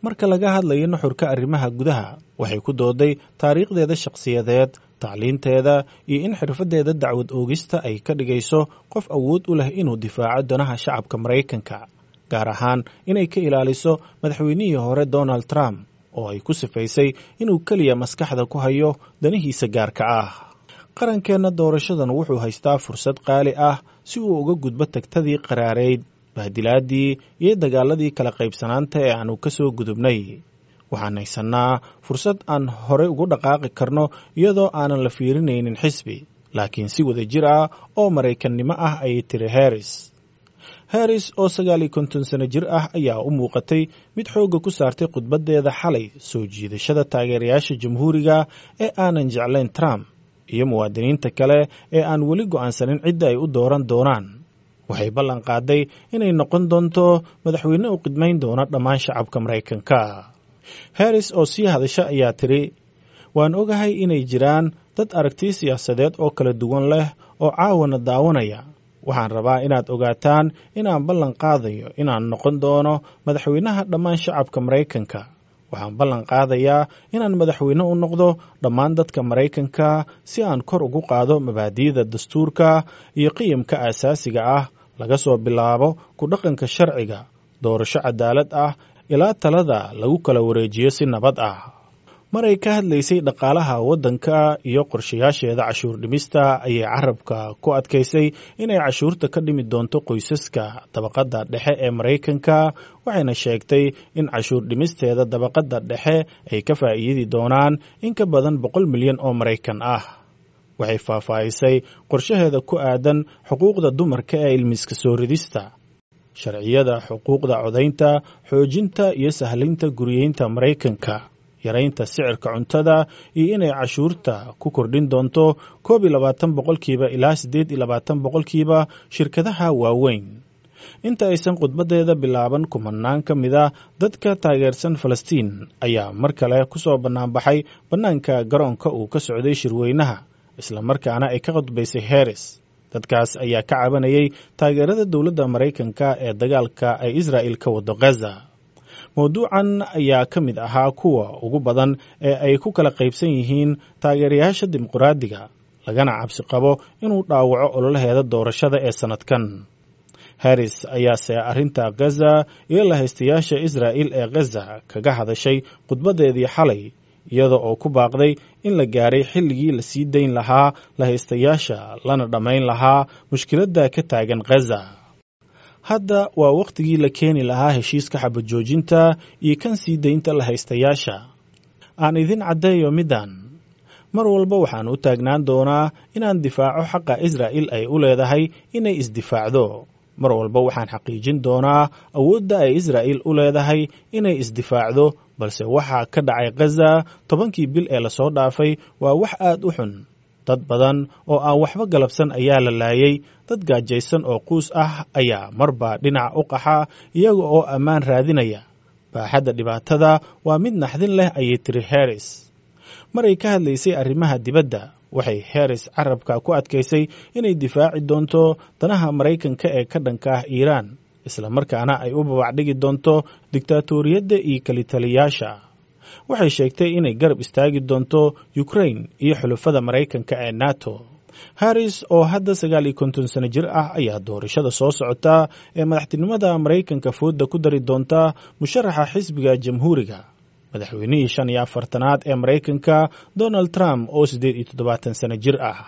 Marka laga hadlayo nuxurka arrimaha gudaha, waxay ku dooday taariikhdeeda shakhsiyadeed, tacliinteeda iyo in xirfaddeeda dacwad oogista ay ka dhigayso qof awood u leh inuu difaaco danaha shacabka Maraykanka, gaar ahaan inay ka ilaaliso madaxweynihii hore Donald Trump oo ay ku sifaysay inuu keliya maskaxda ku hayo danihiisa gaarka ah. Qarankeenna doorashadan wuxuu haystaa fursad qaali ah si uu uga gudbo tagtadii qaraareyd, bahdilaadii iyo dagaaladii kala qaybsanaanta ee aanu ka soo gudubnay. Waxaan haysannaa fursad aan horey ugu dhaqaaqi karno iyadoo aanan la fiirinaynin xisbi, laakiin si wada jir ah oo Maraykannimo ah, ayay tiri Harris. Harris oo 59 sano jir ah ayaa u muuqatay mid xoogga ku saartay khudbaddeeda xalay soo jiidashada taageerayaasha Jamhuuriga ee aanan jeclayn Trump iyo muwaadiniinta kale ee aan weli go'aansanin cidda ay u dooran doonaan. Waxay ballan qaaday inay noqon doonto madaxweyne u qidmayn doona dhammaan shacabka Maraykanka. Harris oo sii hadasha ayaa tiri, "Waan ogahay inay jiraan dad aragti siyaasadeed oo kala duwan leh oo caawana daawanaya. Waxaan rabaa inaad ogaataan inaan ballan qaadayo inaan noqon doono madaxweynaha dhammaan shacabka Maraykanka. Waxaan ballan qaadayaa inaan madaxweyne u noqdo dhammaan dadka Maraykanka si aan kor ugu qaado mabaadi'da dastuurka iyo qiyamka aasaasiga ah, laga soo bilaabo ku dhaqanka sharciga, doorasho cadaalad ah ilaa talada lagu kala wareejiyo si nabad ah." Maray ka hadlaysay dhaqaalaha waddanka iyo qorshayaasheeda cashuur dhimista ayay carabka ku adkaysay inay cashuurta ka dhimi doonto qoysaska dabaqadda dhexe ee Maraykanka, waxayna sheegtay in cashuur dhimisteeda dabaqadda dhexe ay ka faa'iidi doonaan in ka badan 100 milyan oo Maraykan ah. Waxay faahfaahisay qorshaheeda ku aadan xuquuqda dumarka ee ilmiska soo ridista, sharciyada xuquuqda codaynta, xoojinta iyo sahlinta guriyeynta Maraykanka, yaraynta sicirka cuntada iyo inay cashuurta ku kordhin doonto 21% ilaa 28% shirkadaha waaweyn. Inta aysan khudbaddeeda bilaaban, kumanaan ka mid a dadka taageersan Falastiin ayaa mar kale ku soo bannaanbaxay bannaanka garoonka uu ka socday shirweynaha, islamarkaana ay ka khudbaysay Harris. Dadkaas ayaa ka cabanayay taageerada dowladda Maraykanka ee dagaalka ay Israa'il ka wado Gaza. Mawduucan ayaa ka mid ahaa kuwa ugu badan ee ay ku kala qaybsan yihiin taageerayaasha Dimuqraadiga, lagana cabsi qabo inuu dhaawaco ololaheeda doorashada ee sannadkan. Harris ayaase arrinta Gaza iyo lahaystayaasha Israa'il ee Gaza kaga hadashay khudbaddeedii xalay, iyada oo ku baaqday in la gaaray xilligii la sii dayn lahaa lahaystayaasha lana dhammayn lahaa mushkiladda ka taagan Gaza. "Hadda waa wakhtigii la keeni lahaa heshiiska xabajoojinta iyo kan sii daynta lahaystayaasha. Aan idin caddeeyo middan: mar walba waxaan u taagnaan doonaa inaan difaaco xaqa Israa'il ay u leedahay inay isdifaacdo. Mar walba waxaan xaqiijin doonaa awoodda ay Israa'il u leedahay inay isdifaacdo, balse waxaa ka dhacay Gaza 10-kii bil ee lasoo dhaafay waa wax aad u xun. Dad badan oo aan waxba galabsan ayaa la laayay. Dad gaajaysan oo quus ah ayaa marba dhinac u qaxa iyaga oo ammaan raadinaya. Baaxadda dhibaatada waa mid naxdin leh," ayay tiri Harris. Maray ka hadlaysay arrimaha dibadda, waxay Harris carabka ku adkaysay inay difaaci doonto danaha Maraykanka ee ka dhanka ah Iiraan, islamarkaana ay u babacdhigi doonto diktaatoriyadda iyo kalitaliyaasha. Waxay sheegtay inay garab istaagi doonto Ukrain iyo xulafada Maraykanka ee NATO. Harris oo hadda 59 sano jir ah ayaa doorashada soo socota ee madaxtinimada Maraykanka fooda ku dari doonta musharaxa xisbiga Jamhuuriga, madaxweynihii 45aad ee Maraykanka Donald Trump oo 78 sano jir ah.